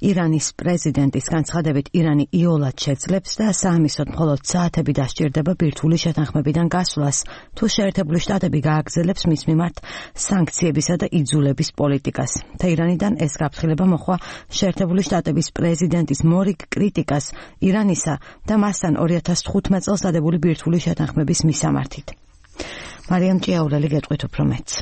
ირანის პრეზიდენტის განცხადებით ირანი იოლად შეძლებს და საამისოდ მხოლოდ საათები დასჭირდება ბირთვული შეთანხმებიდან გასვლას, თუ შეერთებული შტატები გააგრძელებს მის მიმართ სანქციებისა და იძულების პოლიტიკას. თეირანიდან ეს გაფრთხილება მოჰყვა შეერთებული შტატების პრეზიდენტის მორიგ კრიტიკას ირანისა და მასთან 2015 წელს დადებული ბირთვული შეთანხმების მისამართით. მარიამ ჭიაურელი გეტყვით უფრო მეტს.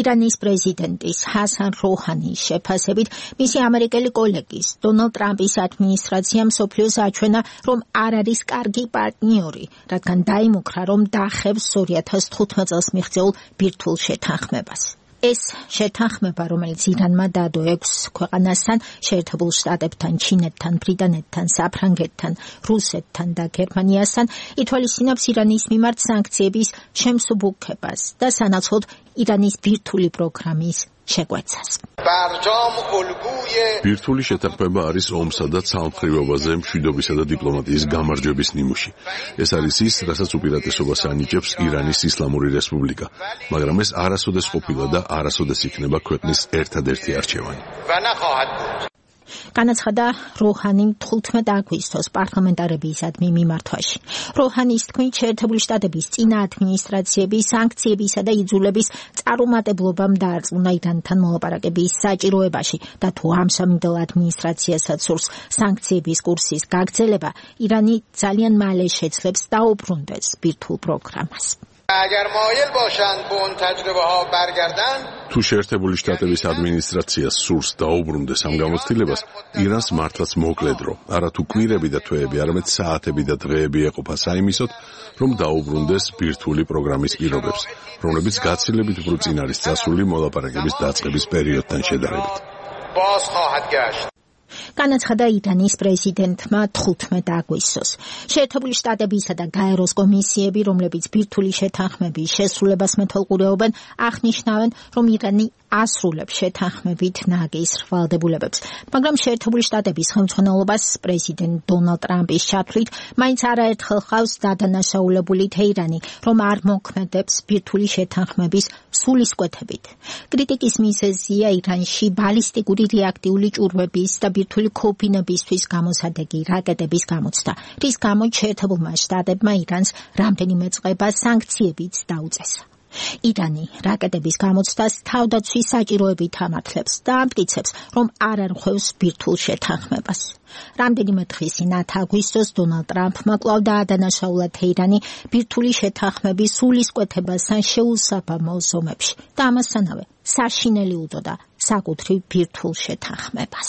ირანის პრეზიდენტის ჰასან როჰანის შეფასებით მისი ამერიკელი კოლეგის დონალდ ტრამპის ადმინისტრაციამ მსოფლიოს აჩვენა, რომ არ არის კარგი პარტნიორი, რადგან დაიმუქრა, რომ დახევს 2015 წელს მიღწეულ ბირთვულ შეთანხმებას. ეს შეთანხმება, რომელიც ირანმა დადო 6 ქვეყანასთან, შეერთებულ შტატებთან, ჩინეთთან, ბრიტანეთთან, საფრანგეთთან, რუსეთთან და გერმანიასთან, ითვალისწინებს ირანის მიმართ სანქციების შემსუბუქებას და სანაცვლოდ ირანის ბირთვული პროგრამის შეგვეცას. ბირთვული შეთანხმება არის ომსა და ცალმხრივობაზე მშვიდობისა და დიპლომატიის გამარჯვების ნიმუში. ეს არის ის, რასაც უპირატესობას ანიჭებს ირანის ისლამური რესპუბლიკა, მაგრამ ეს არასოდეს ყოფილა და არასოდეს იქნება ქვეყნის ერთადერთი არჩევანი. განაცხადა როჰანიმ 15 აგვისტოს პარლამენტარებისადმი მიმართვაში. როჰანის თქმით, შეერთებული შტატების წინა ადმინისტრაციების სანქციებისა და იძულების წარუმატებლობამ დაარწმუნა ირანთან მოლაპარაკების საჭიროებაში და თუ ამ სამიმდევრ ადმინისტრაციასაც სურს სანქციების კურსის გაგრძელება, ირანი ძალიან მალე შეძლებს დაუბრუნდეს ბირთვულ პროგრამას. თუ შეერთებული შტატების ადმინისტრაციას სურს დაუბრუნდეს ამ გამოცდილებას, ირანს მართლაც მოკლედრო, არა თუ კვირები და თვეები, არამედ საათები და დღეები ეყოფა საიმისოდ, რომ დაუბრუნდეს ბირთვული პროგრამის პირობებს, რომლებიც გაცილებით უფრო წინ არის წასული მოლაპარაკების დაწყების პერიოდთან შედარებით. განაცხადა ირანის პრეზიდენტმა 15 აგვისტოს. შეერთებული შტატებისა და გაეროს კომისიები, რომლებიც ბირთვული შეთანხმების შესრულებას მეთვალყურეობენ, აღნიშნავენ, რომ ირანი ასრულებს შეთანხმებით ნაგის ვალდებულებებს. მაგრამ შეერთებული შტატების ხელმძღვანელობას პრეზიდენტ დონალდ ტრამპის ჩათვლით, მაინც არაერთხელ ხავს დადანაშაულებული თეირანი, რომ არ მოქმედებს ბირთვული შეთანხმების სულისკვეთებით. კრიტიკის მიზეზია ირანში ბალისტიკური რეაქტიული ჭურვების და ბირთვული ქოფინებისთვის გამოსადეგი რაკეტების გამოცდა, რის გამოც შეერთებულმა შტატებმა ირანს რამდენიმე წყება სანქციებიც დაუწესა. ირანი რაკეტების გამოცდას თავდაცვის საჭიროებით ამართლებს და ამტკიცებს, რომ არ არღვევს ბირთვულ შეთანხმებას. რამდენიმე დღის წინ 10 აგვისტოს დონალდ ტრამპმა კვლავ დაადანაშაულა თეირანი ბირთვული შეთანხმების სულისკვეთებასთან შეუსაბამო ზომებში და ამასთანავე საშინელი უდოდა საკუთრივ ბირთვულ შეთანხმებას.